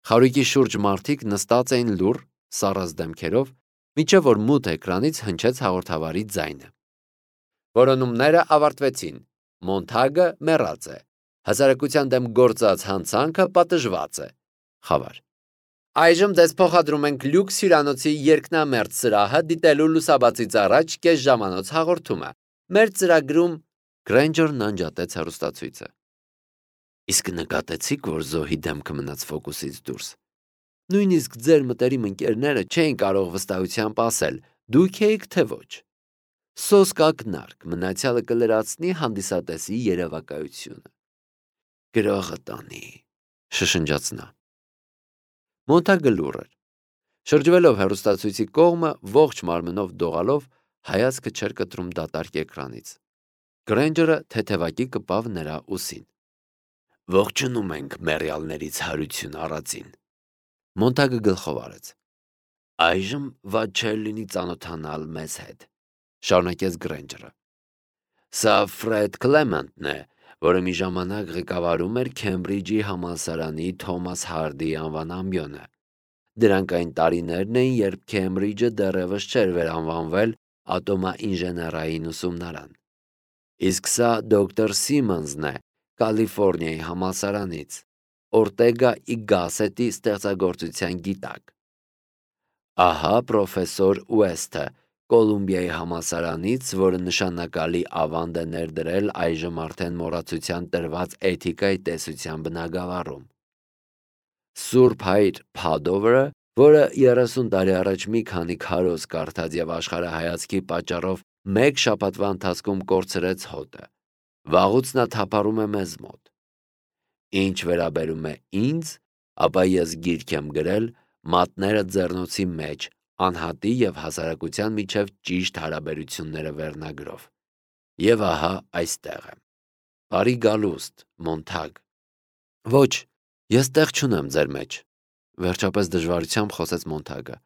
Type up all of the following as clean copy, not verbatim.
Խարույկի շուրջ մարդիկ նստած էին լուռ, սառած դեմքերով, մինչև որ մութ էկրանից հնչեց հաղորդավարի ձայնը։ Որոնումները ավարտվեցին։ Մոնթագը մեռած է։ Հասարակության դեմ գործած հանցանքը պատժված է։ Խավար։ Այժմ ձեզ փոխադրում ենք Լյուքս հյուրանոցի երկնամերձ սրահը դիտելու լուսաբացից առաջ կես ժամանոց հաղորդումը։ Մեր ծրագրում Գրենջերն անջատեց հեռուստացույցը։ Իսկ նկատեցիք, որ զոհի դեմքը մնաց ֆոկուսից դուրս։ Նույնիսկ ձեր մտերիմ ընկերները չէին կարող վստահությամբ ասել, դուք եք թե ոչ։ Սոսկ ակնարկ մնացյալը կլրացնի հանդիսատեսի երևակայությունը։ Գրողը տանի, շշնջաց նա։ Մոնթագը լուռ էր։ Շրջվելով հեռուստացույցի կողմը, ողջ մարմնով դողալով, հայացքը չէր կտրում դատարկ էկրանից։ Գրենջերը թեթևակի կպավ նրա ուսին։ Ողջունում ենք մեռյալներից հարություն առածին։ Մոնթագը գլխով արեց։ Այժմ վատ չէր լինի ծանոթանալ մեզ հետ, շարունակեց Գրենջերը։ Սա Ֆրեդ Քլեմենտն է, որը մի ժամանակ ղեկավարում էր Քեմբրիջի համալսարանի Թոմաս Հարդի անվան ամբիոնը։ Դրանք այն տարիներն էին, երբ Քեմբրիջը դեռևս չէր վերանվանվել ատոմաինժեներային ուսումնարան։ Իսկ սա դոկտոր Սիմոնսն է, Կալիֆոռնիայի համալսարանից, Օրտեգա ի Գասետի ստեղծագործության գիտակ։ Ահա պրոֆեսոր Ուեսթը, Կոլումբիայի համալսարանից, որը նշանակալի ավանդ է ներդրել այժմ արդեն մոռացության տրված էթիկայի տեսության բնագավառում։ Սուրբ հայր Փադովերը, որը 30 տարի առաջ մի քանի քարոզ կարդաց եւ աշխարհայացքի պատճառով մեկ շաբաթվա ընթացքում կորցրեց հոտը, վաղուց նա թափառում է մեզ մոտ։ Ինչ վերաբերում է ինձ, ապա ես գիրք եմ գրել մատները ձեռնոցի մեջ, անհատի եւ հասարակության միջև ճիշտ հարաբերությունները վերնագրով։ Եվ ահա այստեղ եմ։ Բարի գալուստ, Մոնթագ։ Ոչ, ես տեղ չունեմ ձեր մեջ, վերջապես դժվարությամբ խոսեց Մոնթագը։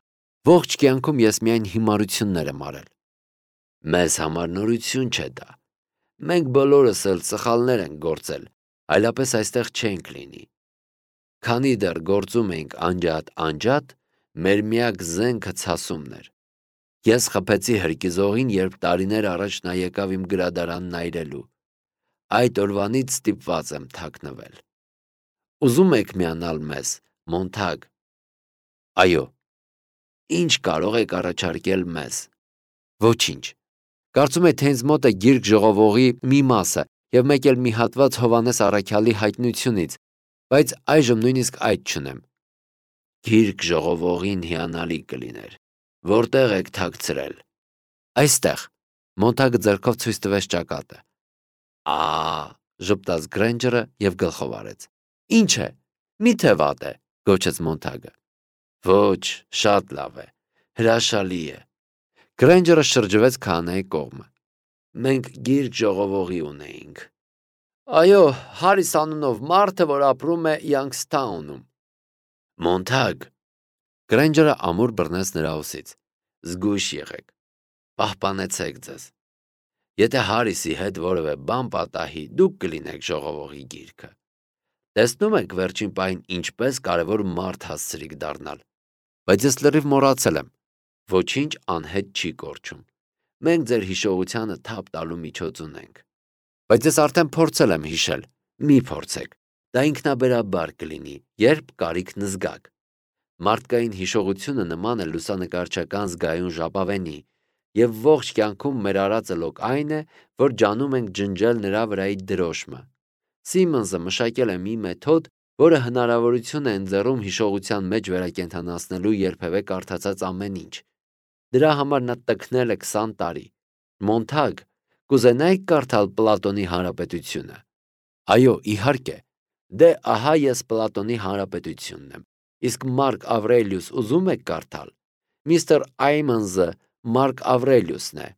Ողջ կյանքում ես միայն հիմարություններ եմ արել։ Մեզ համար նորություն չէ դա։ Մենք բոլորս էլ սխալներ ենք գործել, այլապես այստեղ չենք լինի։ Քանի դեռ գործում էինք անջատ, մեր միակ զենքը ցասումն էր։ Ես խփեցի հրկիզողին, երբ տարիներ առաջ նա եկավ իմ գրադարանն այրելու։ Այդ օրվանից ստիպված եմ թաքնվել։ Ուզում եք միանալ մեզ, Մոնթագ։ Այո։ Ինչ կարող եք առաջարկել մեզ։ Ոչինչ։ Կարծում եք, թե ինձ մոտ է գիրք ժողովողի մի մասը եւ մեկ էլ մի հատված Հովանես Առաքյալի հայտնությունից, բայց այժմ նույնիսկ այդ չունեմ։ Գիրք ժողովողին հիանալի կլիներ։ Որտեղ եք թաքցրել։ Այստեղ։ Մոնթագը ձեռքով ցույց տվեց ճակատը։ Ժպտաց Գրենջերը եւ գլխով արեց։ Ինչ է։ Միթե վատ է, գոչեց Մոնթագը։ Ոչ, շատ լավ է։ Հրաշալի է։ Գրենջերը շրջվեց քահանայի կողմը։ Մենք գիրք ժողովողի ունեինք։ Այո, Հարիս անունով մարդը, որ ապրում է Յանգսթաունում։ Մոնթագ։ Գրենջերը ամուր բռնեց նրա ուսից։ Զգույշ եղեք։ Պահպանեցեք ձեզ։ Եթե Հարիսի հետ որևէ բան պատահի, դուք կլինեք ժողովողի գիրքը։ Տեսնում եք վերջին պահին ինչպես կարևոր մարդ հասցրիք դառնալ։ Բայց ես լրիվ մոռացել եմ։ Ոչինչ անհետ չի կորչում։ Մենք ձեր հիշողությանը թափ տալու միջոց ունենք։ Բայց ես արդեն փորձել եմ հիշել։ Մի փորձեք։ Դա ինքնաբերաբար կլինի, երբ կարիքն զգաք։ Մարդկային հիշողությունը նման է լուսանկարչական զգայուն ժապավենի, եւ ողջ կյանքում մեր արածը լոկ այն է, որ ջանում ենք ջնջել նրա վրայի դրոշմը։ Սիմոնսը մշակել է մի մեթոդ, որը հնարավորություն է ընձեռում հիշողության մեջ վերակենդանացնելու երբևէ կարդացած ամեն ինչ։ Դրա համար նա տքնել է 20 տարի։ Մոնթագ, կուզենայիք կարդալ Պլատոնի Հանրապետությունը։ Այո, իհարկե։ Դե ահա ես Պլատոնի Հանրապետությունն եմ։ Իսկ Մարկ Ավրելիուս ուզում եք կարդալ։ Միստր Այմոնզը Մարկ Ավրելիուսն է։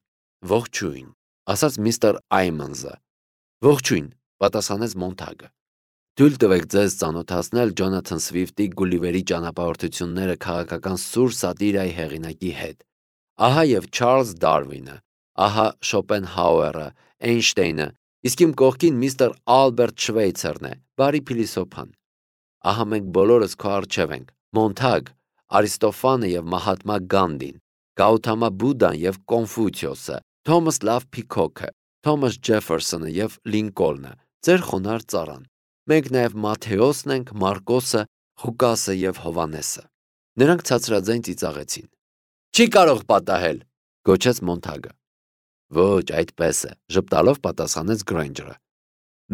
Ողջույն, ասաց միստր Այմոնզը։ Ողջույն, պատասխանեց Մոնթագը։ Թույլ տվեք ձեզ ծանոթացնել Ջոնաթան Սվիֆտի Գուլիվերի ճանապարհորդությունները քաղաքական սուր սատիրայի հեղինակի հետ։ Ահա եւ Չարլզ Դարվինը, ահա Շոպենհաուերը, Էյնշտեյնը, իսկ իմ կողքին միստր Ալբերտ Շվեյցերն է, բարի փիլիսոփան։ ահա մենք բոլորս քո առջև ենք, Մոնթագ, Արիստոֆանը և Մահատմա Գանդին, Գաութամա Բուդդան և Կոնֆուցիոսը, Թոմաս Լավ Փիքոքը, Թոմաս Ջեֆերսոնը և Լինկոլնը, ձեր խոնարհ ծառան։ Մենք նաև Մատթեոսն ենք, Մարկոսը, Ղուկասը և Հովհաննեսը։ Նրանք ցածրաձայն ծիծաղեցին։ Չի կարող պատահել, գոչեց Մոնթագը։ Ոչ, այդպես է, ժպտալով պատասխանեց Գրեյնջերը։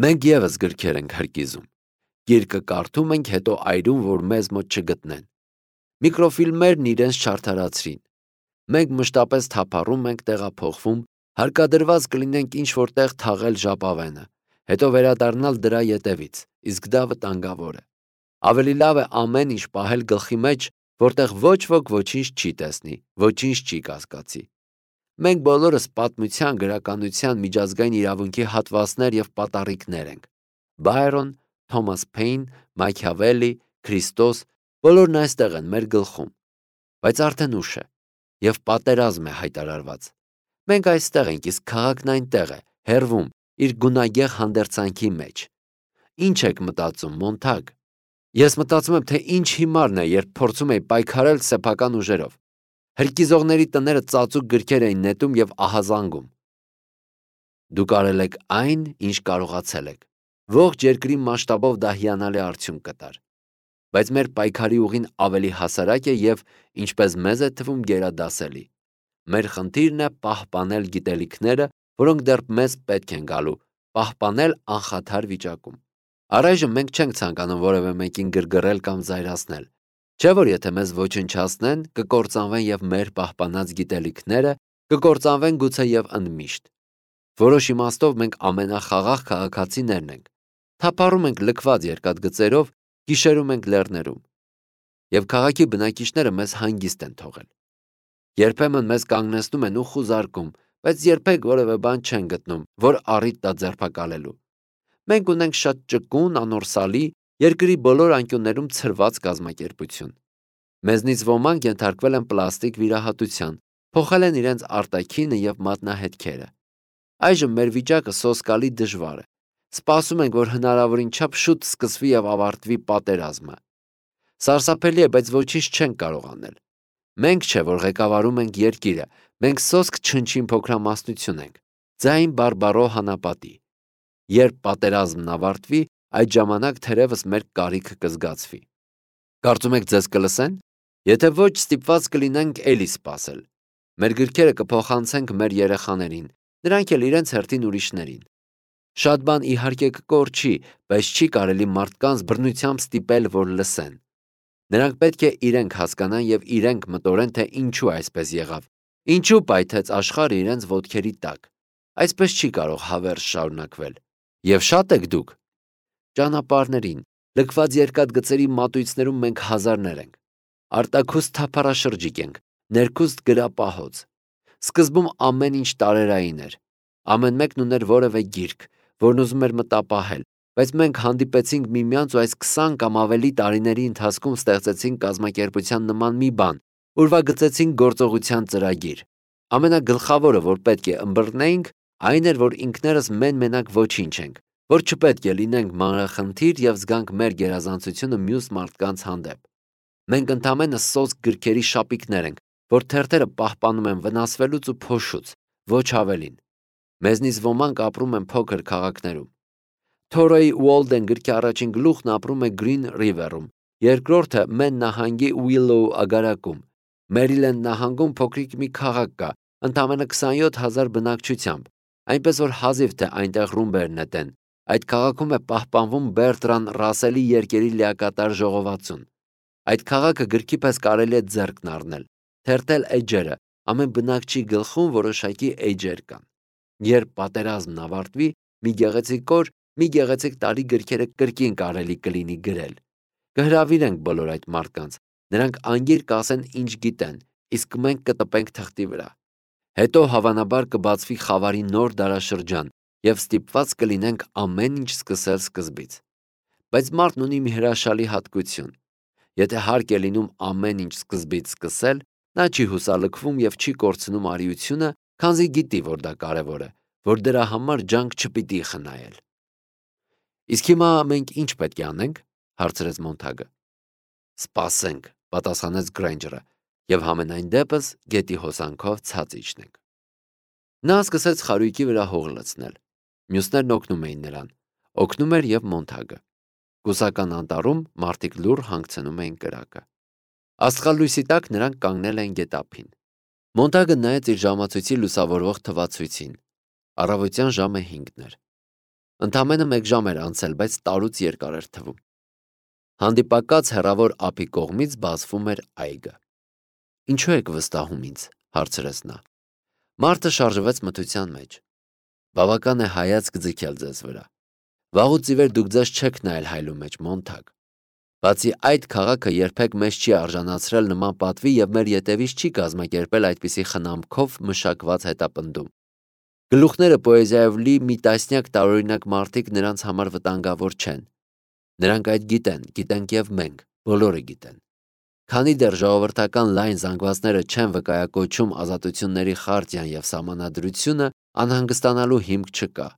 Մենք ևս գրքեր ենք հրկիզում։ Գիրկը կարդում ենք, հետո այրում, որ մեզ մոտ չգտնեն։ Միկրոֆիլմերն իրենց չարդարացրին։ Մենք մշտապես թափառում ենք, տեղափոխվում, հարկադրված կլինենք ինչ-որ տեղ թաղել ժապավենը, հետո վերադառնալ դրա ետևից, իսկ դա վտանգավոր է։ Ավելի լավ է ամեն ինչ պահել գլխի մեջ, որտեղ ոչ ոք ոչինչ չի տեսնի, ոչինչ չի կասկածի։ Մենք բոլորս պատմության, գրականության, միջազգային իրավունքի հատվածներ և պատառիկներ ենք։ Բայրոն, Թոմաս Փեյն, Մաքիավելի, Քրիստոս, բոլորն այստեղ են մեր գլխում։ Բայց արդեն ուշ է, և պատերազմ է հայտարարված։ Մենք այստեղ ենք, իսկ քաղաքն այնտեղ է, հեռվում, իր գունագեղ հանդերձանքի մեջ։ Ինչ եք մտածում, Մոնթագ։ Ես մտածում եմ, թե ինչ հիմարն է, երբ փորձում էի պայքարել սեփական ուժերով։ Հրկիզողների տները ծածուկ գրքեր էին նետում և ահազանգում։ Դուք արել եք այն, ինչ կարողացել եք։ Ողջ երկրի մասշտաբով դա հիանալի արդյունք կտար։ Բայց մեր պայքարի ուղին ավելի հասարակ է և, ինչպես մեզ է թվում, գերադասելի։ Մեր խնդիրն է պահպանել գիտելիքները, որոնք դեռ մեզ պետք են գալու, պահպանել անխաթար վիճակում։ Առայժմ մենք չենք ցանկանում որևէ մեկին գրգռել կամ զայրացնել։ Չէ՞ որ եթե մեզ ոչնչացնեն, կկործանվեն և մեր պահպանած գիտելիքները կկործանվեն գուցե և ընդմիշտ։ Որոշ իմաստով մենք ամենախաղաղ քաղաքացիներն ենք։ Թափառում ենք լքված երկաթգծերով, գիշերում ենք լեռներում։ Եվ քաղաքի բնակիչները մեզ հանգիստ են թողել։ Երբեմն մեզ կանգնեցնում են ու խուզարկում, բայց երբեք որևէ բան չեն գտնում, որ առիթ տա ձերբակալելու։ Մենք ունենք շատ ճկուն, անորսալի, երկրի բոլոր անկյուններում ցրված կազմակերպություն։ Մեզնից ոմանք ենթարկվել են պլաստիկ վիրահատության, փոխել են իրենց արտաքինը և մատնահետքերը։ Այժմ մեր վիճակը սոսկալի դժվար է։ Սպասում ենք, որ հնարավորին չափ շուտ սկսվի և ավարտվի պատերազմը։ Սարսափելի է, բայց ոչինչ չենք կարող անել։ Մենք չէ, որ ղեկավարում ենք երկիրը, մենք սոսկ չնչին փոքրամասնություն ենք, ձայն բարբառո հանապատի։ Երբ պատերազմն ավարտվի, այդ ժամանակ թերևս մեր կարիքը կզգացվի։ Կարծում եք ձեզ կլսեն։ Եթե ոչ, ստիպված կլինենք էլի սպասել։ Մեր գրքերը կփոխանցենք մեր երեխաներին, նրանք էլ իրենց հերթին ուրիշներին։ Շատ բան իհարկե կկորչի, բայց չի կարելի մարդկանց բռնությամբ ստիպել, որ լսեն։ Նրանք պետք է իրենք հասկանան և իրենք մտորեն, թե ինչու այսպես եղավ, ինչու պայթեց աշխարհը իրենց ոտքերի տակ։ Այսպես չի կարող հավերժ շարունակվել։ Եվ շատ եք դուք։ Ճանապարհներին, լքված երկաթգծերի մատույցներում մենք հազարներ ենք։ Արտաքուստ թափառաշրջիկ ենք, ներքուստ գրապահոց։ Սկզբում ամեն ինչ տարերային էր։ Ամեն մեկն ուներ որևէ գիրք, որն ուզում էր մտապահել, բայց մենք հանդիպեցինք միմյանց ու այս 20 կամ ավելի տարիների ընթացքում ստեղծեցինք կազմակերպության նման մի բան, ուրվագծեցինք գործողության ծրագիր։ Ամենագլխավորը, որ պետք է ըմբռնեինք, այն էր, որ ինքներս մեն-մենակ ոչինչ ենք, որ չպետք է լինենք մանրախնդիր և զգանք մեր գերազանցությունը մյուս մարդկանց հանդեպ։ Մենք ընդամենը սոսկ գրքերի շապիկներ ենք, որ թերթերը պահպանում են վնասվելուց ու փոշուց, ոչ ավելին։ Մեզնից ոմանք ապրում են փոքր քաղաքներում։ Թորոյի Ուոլդեն գրքի առաջին գլուխն ապրում է Գրին Ռիվերում, երկրորդը Մեն նահանգի Ուիլոու ագարակում։ Մերիլենդ նահանգում փոքրիկ մի քաղաք կա, ընդամենը 27,000 բնակչությամբ, այնպես որ հազիվ թե այնտեղ ռումբեր նետեն։ Այդ քաղաքում է պահպանվում Բերտրան Ռասելի երկերի լիակատար ժողովածուն։ Այդ քաղաքը գրքի պես կարելի է ձեռքն առնել, թերթել էջերը, ամեն բնակչի գլխում որոշակի էջեր կան։ Երբ պատերազմն ավարտվի, մի գեղեցիկ օր, մի գեղեցիկ տարի գրքերը կրկին կարելի կլինի գրել։ Կհրավիրենք բոլոր այդ մարդկանց, նրանք անգիր կասեն ինչ գիտեն, իսկ մենք կտպենք թղթի վրա։ Հետո հավանաբար կբացվի խավարի նոր դարաշրջան և ստիպված կլինենք ամեն ինչ սկսել սկզբից։ Բայց մարդն ունի մի հրաշալի հատկություն։ Եթե հարկ է լինում ամեն ինչ սկզբից սկսել, նա չի հուսալքվում և չի կորցնում արիությունը, քանզի գիտի, որ դա կարևոր է, որ դրա համար ջանք չպիտի խնայել։ Իսկ հիմա մենք ինչ պետք է անենք, հարցրեց Մոնթագը։ Սպասենք, պատասխանեց Գրեյնջերը, եւ համենայն դեպս գետի հոսանքով ցած իջնենք։ Նա սկսեց խարույկի վրա հող լցնել։ Մյուսներն օգնում էին նրան։ Օգնում էր եւ Մոնթագը։ Կուսական անտառում մարդիկ լուռ հանգցնում էին կրակը։ Աստղալույսի տակ նրանք կանգնել էին գետափին։ Մոնթագը նայեց իր ժամացույցի լուսավորվող թվացույցին։ Առավոտյան ժամը 5-ն էր։ Ընդամենը 1 ժամ էր անցել, բայց տարուց երկար էր թվում։ Հանդիպակաց հեռավոր ափի կողմից բացվում էր այգը։ Ինչու եք վստահում ինձ, հարցրեց նա։ Մարդը շարժվեց մթության մեջ։ Բավական է հայացք ձգել ձեզ վրա։ Վաղուց ի վեր դուք ձեզ չեք նայել հայլու մեջ, Մոնթագ։ Բացի այդ, քաղաքը երբեք մեզ չի արժանացրել նման պատվի եւ մեր ետևից չի կազմակերպել այդպիսի խնամքով մշակված հետապնդում։ Գլուխները պոեզիայով լի մի տասնյակ տարօրինակ մարդիկ նրանց համար վտանգավոր չեն։ Նրանք այդ գիտենք եւ մենք, բոլորը գիտեն։ Քանի դեռ ժողովրդական լայն զանգվածները չեն վկայակոչում ազատությունների խարտիան եւ սահմանադրությունը, անհանգստանալու հիմք չկա։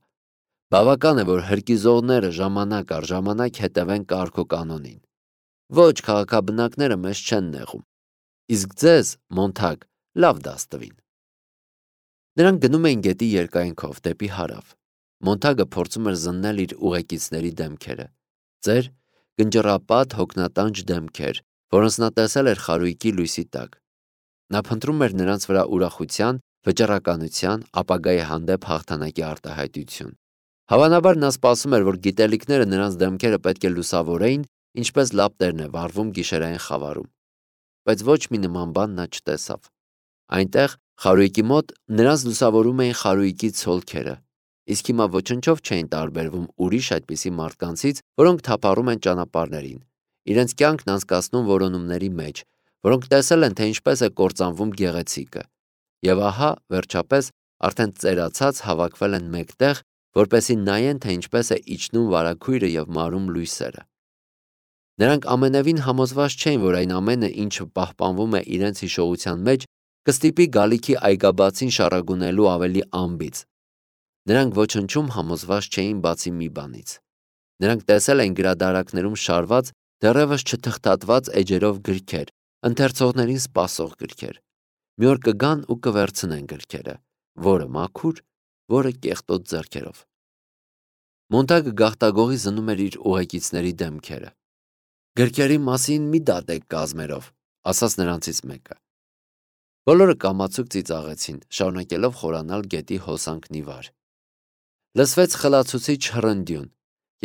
Բավական է, որ հրկիզողները ժամանակ առ ժամանակ հետևեն կարգոկանոնին։ Ոչ, քաղաքաբնակները մեզ չեն նեղում։ Իսկ ձեզ, Մոնթագ, լավ դաս տվին։ Նրանք գնում էին գետի երկայնքով դեպի հարավ։ Մոնթագը փորձում էր զննել իր ուղեկիցների դեմքերը։ Ծեր, գնճռապատ, հոգնատանջ դեմքեր, որոնց նա տեսել էր խարույկի լույսի տակ։ Նա փնտրում էր նրանց վրա ուրախության, վճռականության, ապագայի հանդեպ հաղթանակի արտահայտություն։ Հավանաբար նա սպասում էր, որ գիտելիքները նրանց դեմքերը պետք է լուսավորեին, ինչպես լապտերն է վառվում գիշերային խավարում։ Բայց ոչ մի նման բան նա չտեսավ։ Այնտեղ, խարույկի մոտ, նրանց լուսավորում էին խարույկի ցոլքերը, իսկ հիմա ոչնչով չէին տարբերվում ուրիշ այդպիսի մարդկանցից, որոնք թափառում են ճանապարհներին, իրենց կյանքն անցկացնում որոնումների մեջ, որոնք տեսել են, թե ինչպես է կործանվում գեղեցիկը։ Եվ ահա, վերջապես, արդեն ծերացած հավաքվել են մեկտեղ, որպեսզի նայեն, թե ինչպես է իջնում վարագույրը եւ մարում լույսերը։ Նրանք ամենևին համոզված չէին, որ այն ամենը, ինչը պահպանվում է իրենց հիշողության մեջ, կստիպի գալիքի այգաբացին շառագունելու ավելի անբիծ։ Նրանք ոչնչում համոզված չէին բացի մի բանից։ Նրանք տեսել էին գրադարաններում շարված, դեռևս չթղթատված էջերով գրքեր, ընթերցողներին սպասող գրքեր։ Մի օր կգան ու կվերցնեն գրքերը, որը մաքուր, որը կեղտոտ ձեռքերով։ Մոնթագը գաղտագողի զնում էր իր ուղեկիցների դեմքերը։ Գրքերի մասին մի դատեք կազմերով, ասաց նրանցից մեկը։ Բոլորը կամացուկ ծիծաղեցին, շարունակելով խորանալ գետի հոսանքն ի վար։ Լսվեց խլացուցիչ հռնդյուն,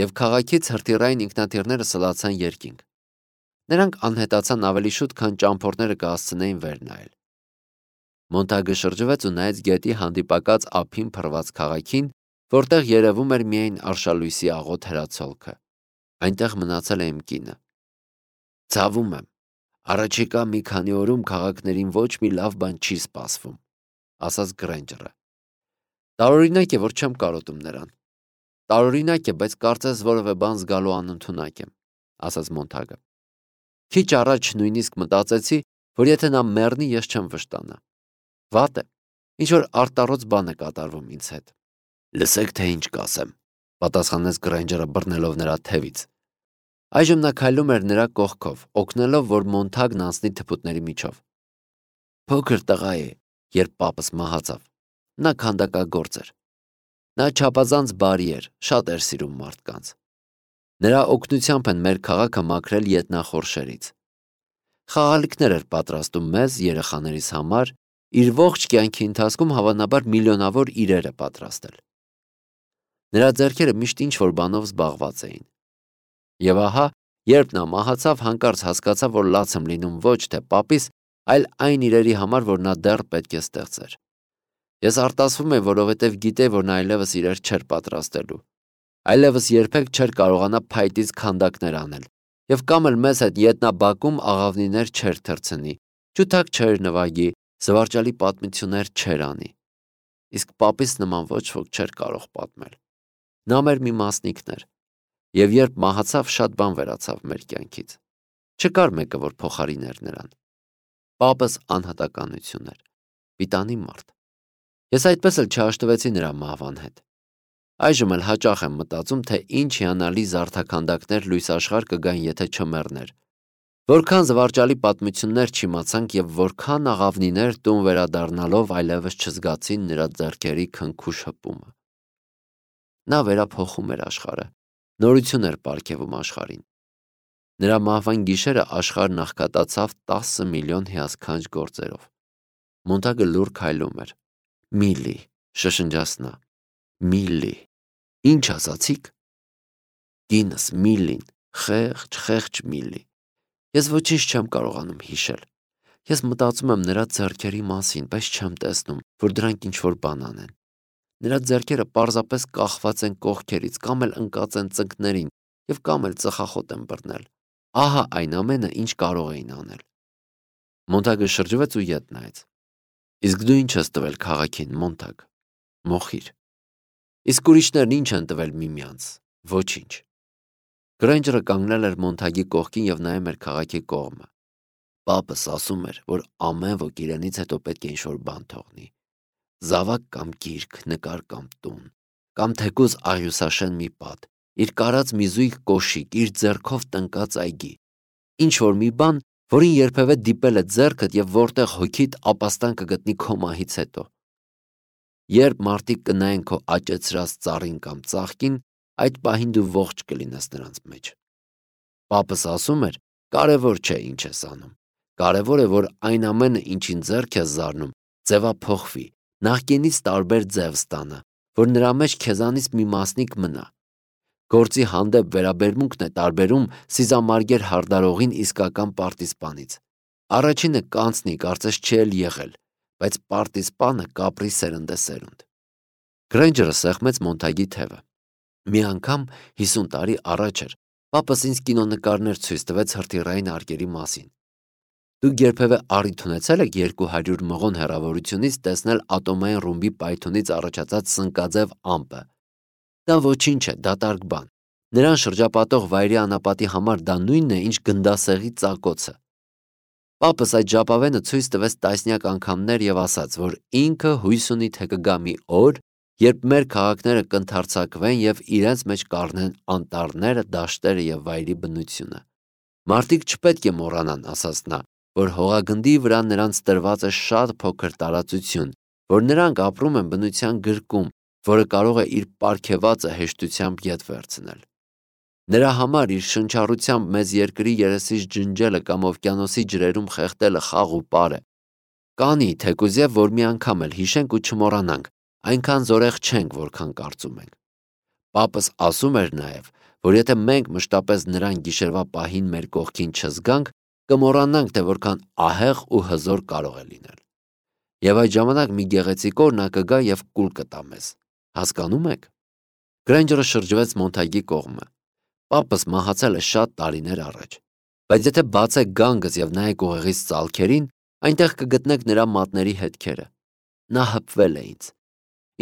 եւ քաղաքից հրթիռային ինքնաթիռները սլացան երկինք։ Նրանք անհետացան ավելի շուտ, քան ճամփորդները կհասցնեին վեր նայել։ Մոնթագը շրջվեց ու նայեց գետի հանդիպակաց ափին փռված քաղաքին, որտեղ երևում էր միայն արշալույսի աղոտ հրացոլքը։ Այնտեղ մնացել է իմ կինը։ Ցավում եմ, առաջիկա մի քանի օրում քաղաքներին ոչ մի լավ բան չի սպասվում, ասաց Գրեյնջերը։ Տարօրինակ է, որ չեմ կարոտում նրան։ Տարօրինակ է, բայց կարծես որևէ բան զգալու անընդունակ եմ, ասաց Մոնթագը։ Քիչ առաջ նույնիսկ մտածեցի, որ եթե նա մեռնի, ես չեմ վշտանա։ Վատ է, ինչ որ արտառոց բան է կատարվում ինձ հետ։ Լսեք, թե ինչ կասեմ, պատասխանեց Գրեյնջերը բռնելով նրա թևից։ Այժմ նա քայլում էր նրա կողքով, օգնելով, որ Մոնթագն անցնի թփուտների միջով։ Փոքր տղա է, երբ պապս մահացավ։ Նա քանդակագործ էր։ Նա չափազանց բարի էր, շատ էր սիրում մարդկանց։ Նրա օգնությամբ են մեր քաղաքը մաքրել ետնախորշերից։ Խաղալիքներ էր պատրաստում մեզ, երեխաներիս համար, իր ողջ կյանքի ընթացքում հավանաբար միլիոնավոր իրեր է պատրաստել։ Նրա ձեռքերը միշտ ինչ-որ բանով զբաղված էին։ Եվ ահա, երբ նա մահացավ, հանկարծ հասկացավ, որ լաց եմ լինում ոչ թե պապիս, այլ այն իրերի համար, որ նա դեռ պետք է ստեղծեր։ Ես արտասվում եմ, որովհետև գիտեի, որ նա այլևս իրեր չէր պատրաստելու։ Այլևս երբեք չէր կարողանա փայտից քանդակներ անել, եւ կամ էլ մեզ հետ ետնաբակում աղավնիներ չէր թռցնի, ջութակ չէր նվագի, զվարճալի պատմություններ չէր անի։ Իսկ պապիս նման ոչ ոք չէր կարող պատմել։ Նա մեր մի մասնիկն էր, եւ երբ մահացավ, շատ բան վերացավ մեր կյանքից։ Չկար մեկը, որ փոխարիներ նրան։ Պապս անհատականություն էր, պիտանի մարդ։ Ես այդպես էլ չհաշտվեցի նրա մահվան հետ։ Այժմ էլ հաճախ եմ մտածում, թե ինչ հիանալի զարդաքանդակներ լույս աշխարհ կգան, եթե չմեռներ։ Որքան զվարճալի պատմություններ չիմացանք եւ որքան աղավնիներ տուն վերադառնալով այլևս չզգացին նրա ձեռքերի քնքուշ հպումը։ Նա վերափոխում էր աշխարհը, նորություն էր պարգևում աշխարհին։ Նրա մահվան գիշերը աշխարհն աղքատացավ 10 միլիոն հիասքանչ գործերով։ Մոնտագը լուռ քայլում էր։ Միլլի, շշնջաց նա։ Միլլի։ Ինչ ասացիք։ Կինս Միլլին, խեղճ Միլլի։ Ես ոչինչ չեմ կարողանում հիշել։ Ես մտածում եմ նրա ձեռքերի մասին, բայց չեմ տեսնում, որ դրանք ինչ-որ բան անեն։ Նրա ձեռքերը պարզապես կախված են կողքերից, կամ էլ ընկած են ծնկներին, եւ կամ էլ ծխախոտ են բռնել։ Ահա այն ամենը, ինչ կարող էին անել։ Մոնտագը շրջվեց ու ետ նայեց։ Իսկ դու ինչ ես տվել քաղաքին, Մոնտագ։ Մոխիր։ Իսկ ուրիշներն ինչ են տվել միմյանց։ Ոչինչ։ Գրենջերը կանգնել էր Մոնտագի կողքին եւ նայում էր քաղաքի կողմը։ Պապս ասում էր, որ ամեն ոք իրենից հետո պետք է ինչ-որ բան թողնի։ Զավակ կամ գիրք, նկար կամ տուն, կամ թեկուզ աղյուսաշեն մի պատ, իր կարած մի զույգ կոշիկ, իր ձեռքով տնկած այգի, ինչ-որ մի բան, որին երբևէ դիպել է ձեռքդ եւ որտեղ հոգիդ ապաստան կգտնի քո մահից հետո։ Երբ մարդիկ կնայեն քո աճեցրած ծառին կամ ծաղկին, այդ պահին դու ողջ կլինես նրանց մեջ։ Պապս ասում էր, կարևոր չէ ինչ ես անում, կարևոր է, որ այն ամենը, ինչին ձեռք ես զարնում, ձևափոխվի, նախկինից տարբեր ձև ստանա, որ նրա մեջ քեզանից մի մասնիկ մնա։ Գործի հանդեպ վերաբերմունքն է տարբերում սիզամարգեր հարդարողին իսկական պարտիզպանից։ Առաջինը կանցնի, կարծես չի էլ եղել, բայց պարտիզպանը կապրի սերնդեսերունդ։ Գրենջերը սեղմեց Մոնտագի թևը։ Մի անգամ 50 տարի առաջ էր, պապս ինձ կինոնկարներ ցույց տվեց հրթիռային արկերի մասին։ Դուք երբևէ առիթ ունեցել եք 200 մղոն հեռավորությունից տեսնել ատոմային ռումբի պայթյունից առաջացած սնկաձև ամպը։ Դա ոչինչ է, դատարկ բան։ Նրան շրջապատող վայրի անապատի համար դա նույնն է, ինչ գնդասեղի ծակոցը։ Պապս այդ ժապավենը ցույց տվեց տասնյակ անգամներ եւ ասաց, որ ինքը հույս ունի, թե կգա մի օր, երբ մեր քաղաքները կընդարձակվեն եւ իրենց մեջ կառնեն անտառները, դաշտերը եւ վայրի բնությունը։ Մարդիկ չպետք է մոռանան, ասաց նա, որ հողագնդի վրա նրանց տրված է շատ փոքր տարածություն, որ նրանք ապրում են բնության գրկում, որը կարող է իր պարգևածը հեշտությամբ ետ վերցնել։ Նրա համար իր շնչառությամբ մեզ երկրի երեսից ջնջելը կամ օվկիանոսի ջրերում խեղդելը խաղ ու պար է։ Կանի, թեկուզև որ մի անգամ էլ հիշենք ու չմոռանանք, այնքան զորեղ չենք, որքան կարծում ենք։ Պապս ասում էր նաև, որ եթե մենք մշտապես նրան գիշերվա պահին մեր կողքին չզգանք, կմոռանանք, թե որքան ահեղ ու հզոր կարող է լինել։ Եվ այդ ժամանակ մի գեղեցիկ օր նա կգա եւ կուլ կտա մեզ։ Հասկանում եք։ Գրենջերը շրջվեց Մոնտագի կողմը։ Պապս մահացել է շատ տարիներ առաջ, բայց եթե բացեք գանգս եւ նայեք ուղեղից ծալքերին, այնտեղ կգտնեք նրա մատների հետքերը։ Նա հպվել է ինձ։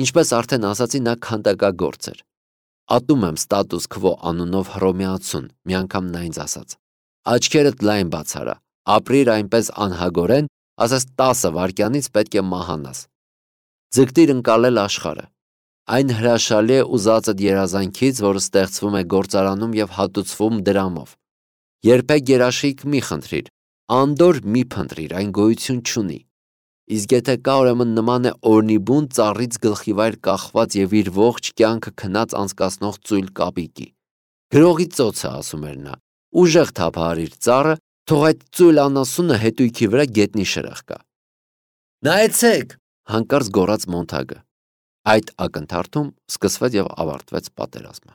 Ինչպես արդեն ասացի, նա քանդակագործ էր։ Ատում եմ ստատուս քվո անունով հռոմեացուն, մի անգամ նա ինձ ասաց. Աչքերդ լայն բացարա, ապրիր այնպես անհագորեն, ասես 10 վայրկյանից պետք է մահանաս։ Ձգտիր ընկալել աշխարհը։ Այն հրաշալի է ուզածդ երազանքից, որը ստեղծվում է գործարանում եւ հատուցվում դրամով։ Երբեք երաշխիք մի խնդրիր, անդոր մի փնտրիր, այն գոյություն չունի։ Իսկ եթե կա, ուրեմն նման է օրնիբուն ծառից գլխիվայր կախված եւ իր ողջ կյանքը քնած անցկացնող ծույլ կապիկի։ Գրողի ծոցը, ասում էր նա, ուժեղ թափահարիր ծառը, թող այդ ծույլ անասունը հետույքի վրա գետնի շրխկա։ Նայեցեք, հանկարծ գոռաց Մոնտագը։ Այդ ակնթարթում սկսվեց եւ ավարտվեց պատերազմը։